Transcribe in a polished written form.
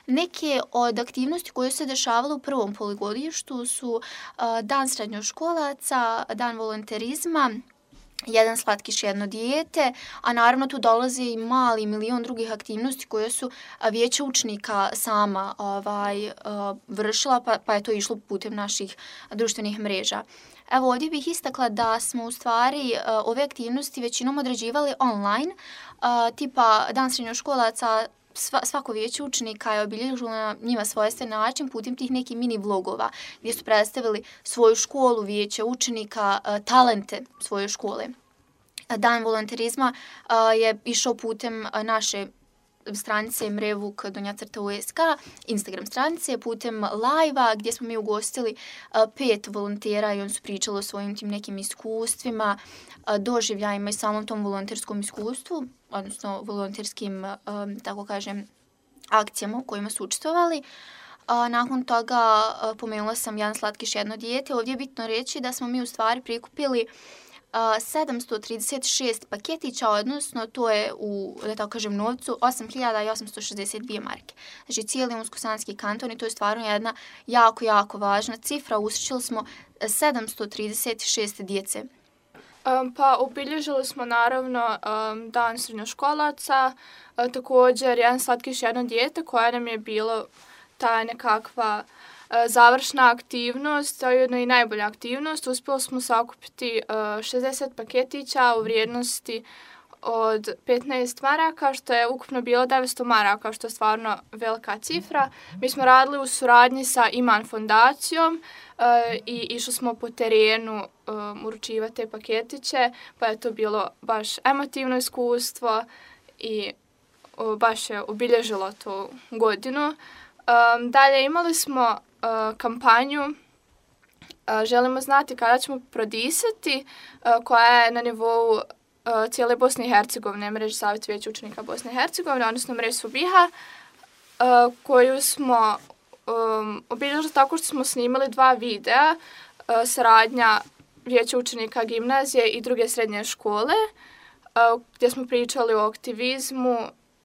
Neke od aktivnosti koje su se dešavale u prvom polugodištu su dan srednjoškolaca, dan volonterizma, jedan slatkiš, jedno dijete, a naravno tu dolazi i mali milion drugih aktivnosti koje su vijeće učenika sama vršila, pa je to išlo putem naših društvenih mreža. Evo, ovdje bih istakla da smo u stvari ove aktivnosti većinom određivali online, tipa dan srednjoškolaca. Svako vijeće učenika je obilježilo na njima svojstven način putem tih nekih mini vlogova gdje su predstavili svoju školu, vijeće učenika, talente svoje škole. Dan volonterizma je išao putem naše stranice mrevuk_usk, Instagram stranice, putem live-a gdje smo mi ugostili 5 volontera i oni su pričali o svojim tim nekim iskustvima, doživljajima i samom tom volonterskom iskustvu, odnosno volonterskim, tako kažem, akcijama u kojima su učestvovali. Nakon toga pomenula sam jedan slatkiš, jedno dijete. Ovdje je bitno reći da smo mi u stvari prikupili 736 paketića, odnosno to je u, da tako kažem, novcu 8.862 marke. Znači cijeli Unsko-Sanski kanton i to je stvarno jedna jako, jako važna cifra. Usrećili smo 736 djece. Pa obilježili smo naravno dan srednjoškolaca, također jedan slatkiš, jedno dijete koja nam je bilo ta nekakva završna aktivnost, a ujedno i najbolja aktivnost. Uspjeli smo sakupiti 60 paketića u vrijednosti od 15 maraka, što je ukupno bilo 900 maraka, što je stvarno velika cifra. Mi smo radili u suradnji sa Iman fondacijom i išli smo po terenu uručivati te paketiće, pa je to bilo baš emotivno iskustvo i baš je obilježilo tu godinu. Dalje imali smo kampanju Želimo znati kada ćemo prodisati, koja je na nivou cijele Bosne i Hercegovine, mreže Savjet vijeća učenika Bosne i Hercegovine, odnosno mreže Subiha, koju smo obilježili tako što smo snimali 2 videa, saradnja vijeća učenika gimnazije i druge srednje škole, gdje smo pričali o aktivizmu